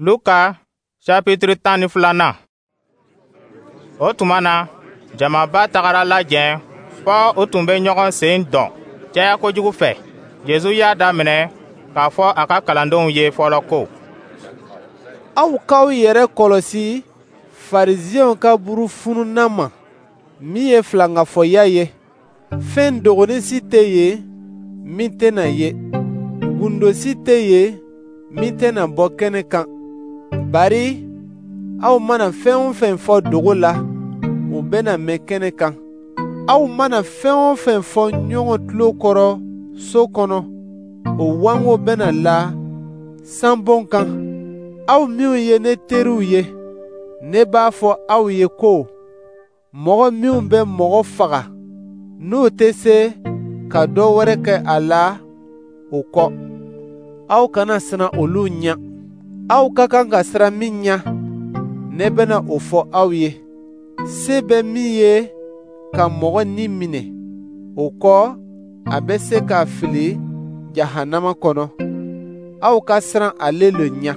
Luka chapitre 12nan. O tuma na, jamaba tagara lajɛn fɔ u tun bɛ ɲɔgɔn sen dɔn caya kojugu fɛ. Yezu y'a daminɛ k'a fɔ a ka kalandenw ye fɔlɔ ko: Aw k'aw yɛrɛ kɔlɔsi Farisiɛnw ka burufununnan ma, min ye filankafɔya ye. Fɛn dogonin si tɛ yen min tɛna ye, gundo si tɛ yen min tɛna bɔ kɛnɛ kan. Bari aw mana fɛn o fɛn fɔ dogo la, o bɛna mɛn kɛnɛ kan. Aw mana fɛn o fɛn fɔ ɲɔgɔn tulo kɔrɔ so kɔnɔ, o wango bɛna la sanbon kan. Aw minw ye ne teriw ye, ne b'a fɔ aw ye ko mɔgɔ minw bɛ mɔgɔ faga, n'u tɛ se ka dɔ wɛrɛ kɛ a la o kɔ, aw kana siran olu ɲɛ. Aw ka kan ka siran min ɲɛ, ne bɛna o fɔ aw ye. Se bɛ min ye ka mɔgɔ ni minɛ, o kɔ a bɛ se k'a fili jahanama kɔnɔ. Aw ka siran ale le ɲɛ.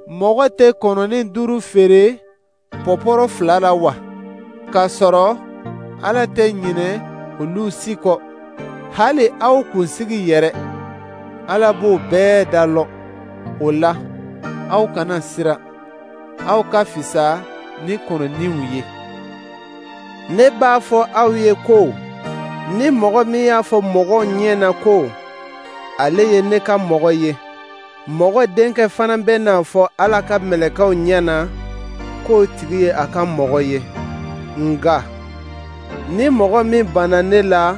Mɔgɔ tɛ kɔnɔnin 5 feere pɔpɔrɔ 2 la wa? K'a sɔrɔ Ala tɛ ɲinɛ olu si kɔ. Hali aw kunsigi yɛrɛ, Ala b'o bɛɛ da lɔn. O la, aw kana siran, aw ka fisa ni kɔnɔninw ye. Ne b'a fɔ aw ye ko ni mɔgɔ min y'a fɔ mɔgɔw ɲɛ na ko ale ye ne ka mɔgɔ ye, mɔgɔ denkɛ fana bɛna fɔ Ala ka mɛlɛkɛw ɲɛ na k'o tigi ye a ka mɔgɔ ye. Nka ni mɔgɔ min banna ne la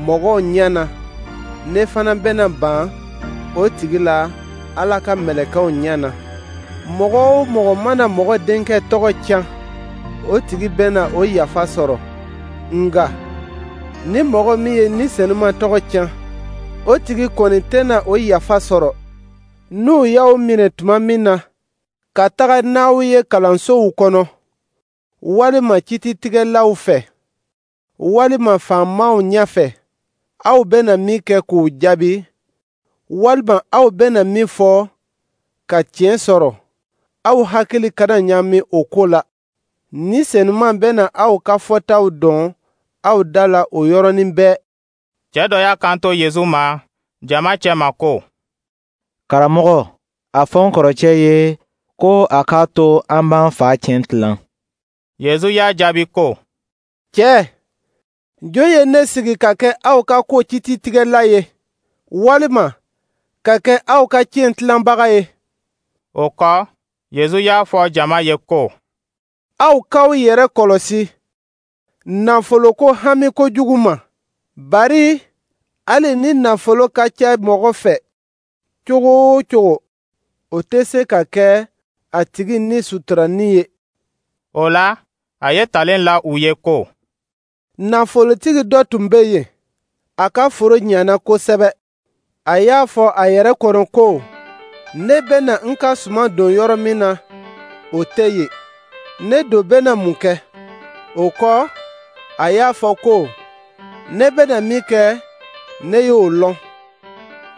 mɔgɔw ɲɛ na, ne fana bɛna ban o tigi la Ala ka mɛlɛkɛw ɲɛ na. Mɔgɔ o mɔgɔ mana mɔgɔ denkɛ tɔgɔ tiɲɛ, o tigi bɛna o yafa sɔrɔ. Nka ni mɔgɔ min ye Ni Senuma tɔgɔ tiɲɛ, o tigi kɔni tɛna o yafa sɔrɔ. N'u y'aw minɛ tuma min na, ka taga n'aw ye kalansow kɔnɔ, walima kititigɛlaw fɛ, walima faamaw ɲɛfɛ, aw bɛna min kɛ k'u jaabi, walima aw bɛna min fɔ ka tiɲɛ sɔrɔ, aw hakili kana ɲaami o ko la. Ni Senuma bɛna aw ka fɔtaw dɔn aw da la o yɔrɔnin bɛɛ. Cɛ dɔ y'a kanto Yezu ma jama cɛma ko: Karamɔgɔ, a fɔ n kɔrɔcɛ ye ko a k'a to an b'an fa tiɲɛ tilan. Yezu y'a jaabi ko: Cɛ, jɔn ye ne sigi ka kɛ aw ka ko kititigɛla ye, walima ka kɛ aw ka tiɲɛ tilanbaga ye? O kɔ, Yezu y'a fɔ jama ye ko: Aw k'aw yɛrɛ kɔlɔsi nafoloko hami kojugu ma, bari hali ni nafolo ka ca mɔgɔ fɛ cogo o cogo, o tɛ se ka kɛ a tigi ni suturani ye. O la, a ye talen la u ye ko: Nafolotigi dɔ tun bɛ yen, a ka foro ɲana kosɛbɛ. A y'a fɔ a yɛrɛ kɔnɔ ko, ne bɛna n ka suman don yɔrɔ min na, o tɛ yen. Ne don bɛna mun kɛ? O kɔ, a y'a fɔ ko, ne bɛna min kɛ, ne y'o lɔn.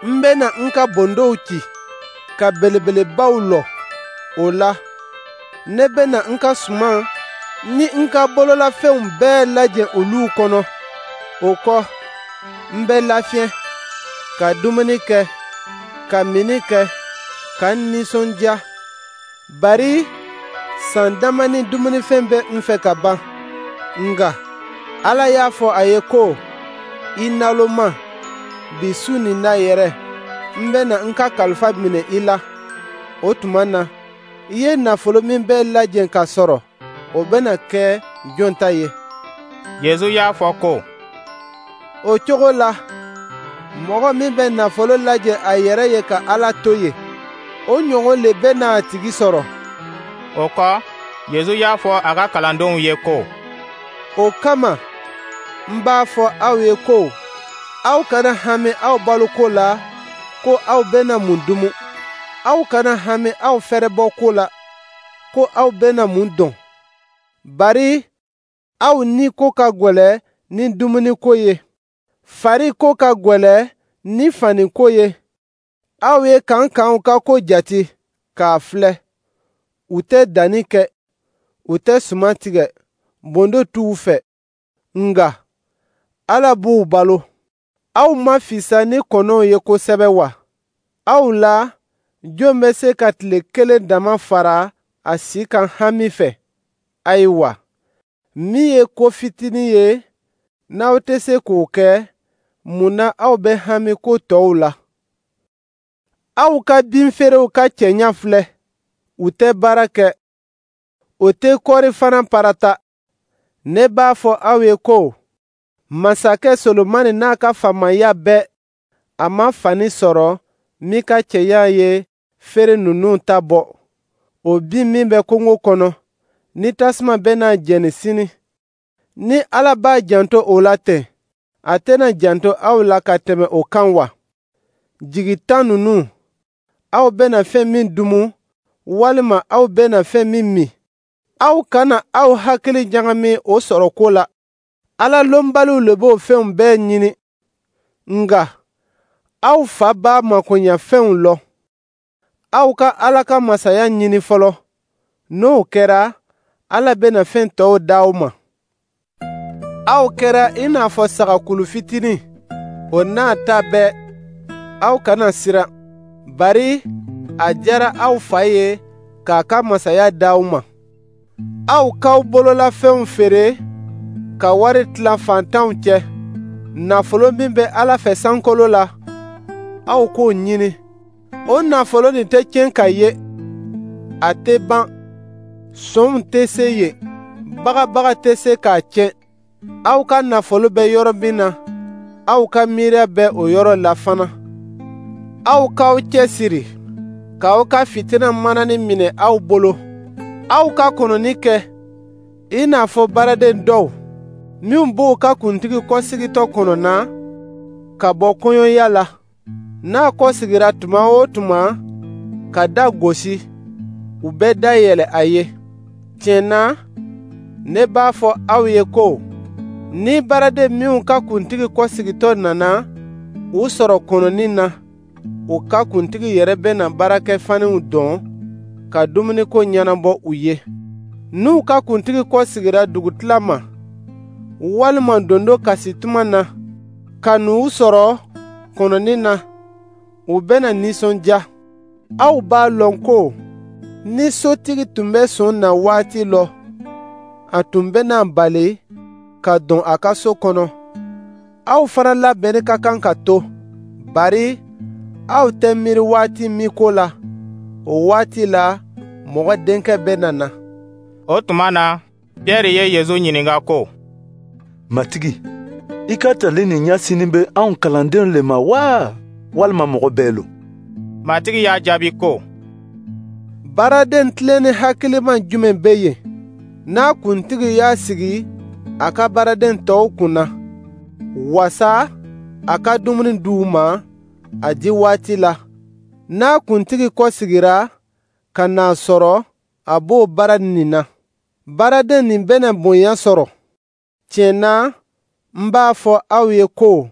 N bɛna n ka bondow ci, ka belebelebaw lɔ. O la, ne bɛna n ka suman ni n ka bololafɛnw bɛɛ lajɛ olu kɔnɔ. O kɔ, n bɛ lafiɲɛ, ka dumuni kɛ, ka minni kɛ, ka n nisɔndiya. Bari san dama ni dumunifɛn bɛ n fɛ ka ban. Nka Ala y'a fɔ a ye ko, i naloma, bi su nin na yɛrɛ, n bɛna n ka kalifa minɛ i la. O tuma na, i ye nafolo min bɛɛ lajɛ ka sɔrɔ, o bɛna kɛ jɔn ta ye? Yezu y'a fɔ ko: O cogo la, mɔgɔ min bɛ nafolo lajɛ a yɛrɛ ye ka Ala to yen, o ɲɔgɔn le bɛna a tigi sɔrɔ. O kɔ, Yezu y'a fɔ a ka kalandenw ye ko: O kama, n b'a fɔ aw ye ko aw kana hami aw baloko la ko aw bɛna mun dumu. Aw kana hami aw fɛrɛbɔ ko la ko aw bɛna mun dɔn. Bari aw ni ko ka gwɛlɛ ni dumuni ko ye, fari ko ka gwɛlɛ ni fani ko ye. Aw ye kankanw ka ko jate. k'a filɛ. U tɛ danni kɛ, u tɛ suman tigɛ, bondo t'u fɛ. Nka Ala b'u balo. Aw ma fisa ni kɔnɔw ye kosɛbɛ wa? Aw la, jɔn bɛ se ka tile kelen dama fara a si kan hami fɛ? Ayiwa, min ye ko fitinin ye, n'aw tɛ se k'o kɛ, mun na aw bɛ hami ko tɔw la? Aw ka binfeerew ka cɛɲa filɛ, u tɛ baara kɛ, o tɛ kɔɔri fana parata. Ne b'a fɔ aw ye ko masakɛ Solomani n'a ka faamaya bɛɛ, a ma fani sɔrɔ min ka cɛɲa ye feere ninnu ta bɔ. O bin min bɛ kungo kɔnɔ, ni tasuma bɛna jeni sini, ni Ala b'a janto o la ten, a tɛna janto aw la ka tɛmɛ o kan wa? Jigitan ninnu, aw bɛna fɛn min dumu, walima aw bɛna fɛn min min, aw kana aw hakili ɲagami o sɔrɔ ko la. Ala lɔnbaliw le b'o fɛnw bɛɛ ɲini. Nka aw fa b'a makoɲɛfɛnw lɔn. Aw ka Ala ka masaya ɲini fɔlɔ. N'o kɛra, Ala bɛna fɛn tɔw d'aw ma. Aw kɛra i n'a fɔ sagakulu fitinin, o n'a ta bɛɛ, aw kana siran, bari a diyara aw fa ye k'a ka masaya d'aw ma. Aw k'aw bololafɛnw feere ka wari tila faantanw cɛ. Nafolo min bɛ Ala fɛ sankolo la, aw k'o ɲini. O nafolo nin tɛ tiɲɛ ka ye, a tɛ ban, sɔnw tɛ se yen, bagabaga tɛ se k'a tiɲɛ. Aw ka nafolo bɛ yɔrɔ min na, aw ka miiriya bɛ o yɔrɔ la fana. Aw k'aw cɛsiri k'aw ka fitina manani minɛ aw bolo. Aw ka kɔnɔni kɛ i n'a fɔ baaraden dɔw minw b'u ka kuntigi kɔsigitɔ kɔnɔna ka bɔ kɔɲɔya la. N'a kɔsigira tuma o tuma ka da gosi, u bɛ da yɛlɛ a ye. Tiɲɛ na, ne b'a fɔ aw ye ko ni baaraden minw ka kuntigi kɔsigitɔ nana u sɔrɔ kɔnɔni na, u ka kuntigi yɛrɛ bɛna baarakɛfaniw dɔn ka dumuniko ɲɛnabɔ u ye. N'u ka kuntigi kɔsigira dugutila ma, walima dondo kasi tuma na, ka n'u sɔrɔ kɔnɔni na, u bɛna nisɔndiya. Aw b'a lɔn ko ni sotigi tun bɛ son na waati lɔ, a tun bɛna bali ka don a ka so kɔnɔ. Aw fana labɛnni ka kan ka to, bari aw tɛ miiri waati min ko la, o waati la mɔgɔ denkɛ bɛna na. O tuma na, Pierre ye Yezu ɲininka ko: Matigi, i ka tali nin ɲɛsinnen bɛ anw kalandenw le ma wa, walima mɔgɔ bɛɛ lo? Matigi y'a jaabi ko: Baaraden tilenni hakiliman jumɛn bɛ yen, n'a kuntigi y'a sigi a ka baaraden tɔw kunna, wasa a ka dumuni d'u ma a di waati la? N'a kuntigi kɔsigira ka n'a sɔrɔ a b'o baara nin na, baaraden nin bɛna bonya sɔrɔ. Tiɲɛ na, n b'a fɔ aw ye ko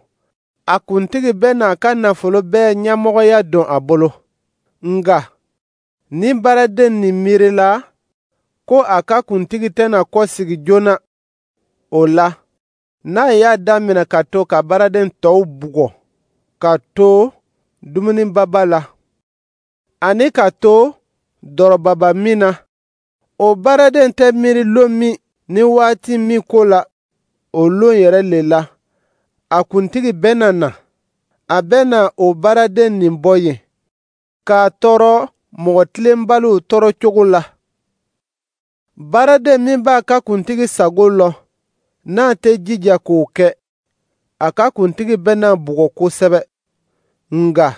a kuntigi bɛna a ka nafolo bɛɛ ɲɛmɔgɔya don a bolo. Nka ni baaraden nin miirila ko a ka kuntigi tɛna kɔsigi joona, o la, n'a y'a daminɛ ka to ka baaraden tɔw bugɔ, ka to dumunibaba la, ani ka to dɔrɔbaba min na, o baaraden tɛ miiri lon min ni waati min ko la, o lon yɛrɛ le la, a kuntigi bɛna na. A bɛna o baaraden nin bɔ yen, k'a tɔɔrɔ mɔgɔ tilenbaliw tɔɔrɔ cogo la. Baaraden min b'a ka kuntigi sago lɔn, n'a tɛ jija k'o kɛ, a ka kuntigi bɛna bugɔ kosɛbɛ. Nka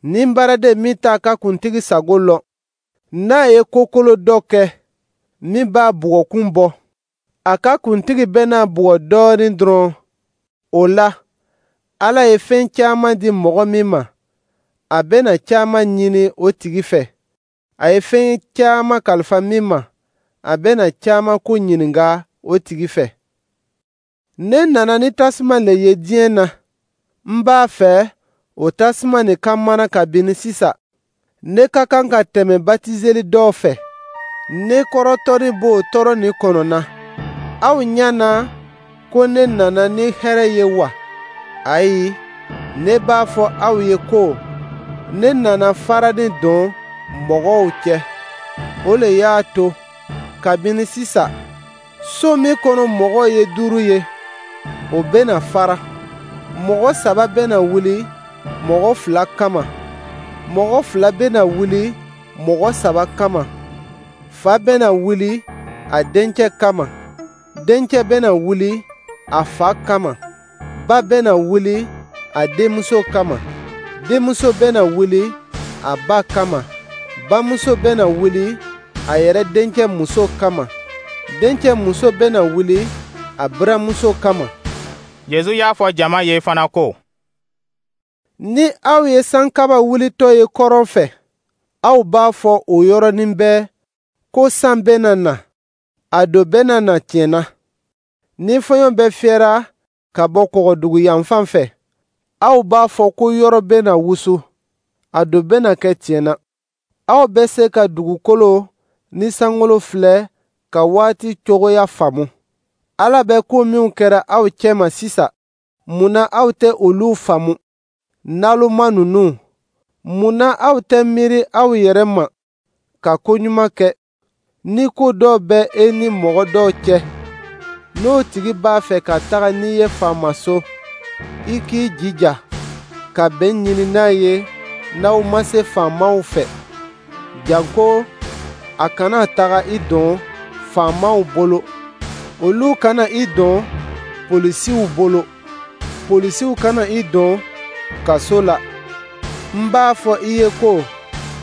ni baaraden min t'a ka kuntigi sago lɔn, n'a ye kokolo dɔ kɛ min b'a bugɔkun bɔ, a ka kuntigi bɛna bugɔ dɔɔnin dɔrɔn. O la, Ala ye fɛn caman di mɔgɔ min ma, a bɛna caman ɲini o tigi fɛ. A ye fɛn caman kalifa min ma, a bɛna caman ko ɲininka o tigi fɛ. Ne nana ni tasuma le ye diɲɛ na. N b'a fɛ o tasuma nin ka mana kabini sisan. Ne ka kan ka tɛmɛ batizeli dɔ fɛ. Ne kɔrɔtɔni b'o tɔɔrɔ nin kɔnɔ na. Aw ɲɛ na ko ne nana ni hɛrɛ ye wa? Ayi, ne b'a fɔ aw ye ko ne nana farani don mɔgɔw cɛ. O le y'a to kabini sisan, so min kɔnɔ mɔgɔ ye 5 ye, o bɛna fara. Mɔgɔ 3 bɛna wuli mɔgɔ 2 kama, mɔgɔ 2 bɛna wuli mɔgɔ 3 kama. Fa bɛna wuli a dencɛ kama, dencɛ bɛna wuli a fa kama, ba bɛna wuli a denmuso kama, denmuso bɛna wuli a ba kama, bamuso bɛna wuli a yɛrɛ dencɛ muso kama, dencɛ muso bɛna wuli a buramuso kama. Yezu y'a fɔ jama ye fana ko: Ni aw ye sankaba wulitɔ ye kɔrɔn fɛ, aw b'a fɔ o yɔrɔnin bɛɛ ko san bɛna na, a don bɛna na tiɲɛ na. Ni fɔɲɔ bɛ fiyɛra ka bɔ kɔgɔdugu yanfan fɛ, aw b'a fɔ ko yɔrɔ bɛna wusu, a don bɛna kɛ tiɲɛ na. Aw bɛ se ka dugukolo ni sankolo filɛ ka waati cogoya faamu. Ala bɛ ko minw kɛra aw cɛma sisan, mun na aw tɛ olu faamu? Naloma ninnu, mun na aw tɛ miiri aw yɛrɛ ma ka ko ɲuman kɛ? Ni ko dɔ bɛ e ni mɔgɔ dɔ cɛ, n'o tigi b'a fɛ ka taga n'i ye faamaso, i k'i jija ka bɛn ɲini n'a ye n'aw ma se faamaw fɛ, janko a kana taga i don faamaw bolo, olu kana i don polisiw bolo, polisiw kana i don kaso la. N b'a fɔ i ye ko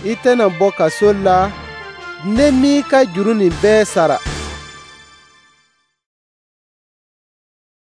i tɛna bɔ kaso la ne m'i ka juru nin bɛɛ sara.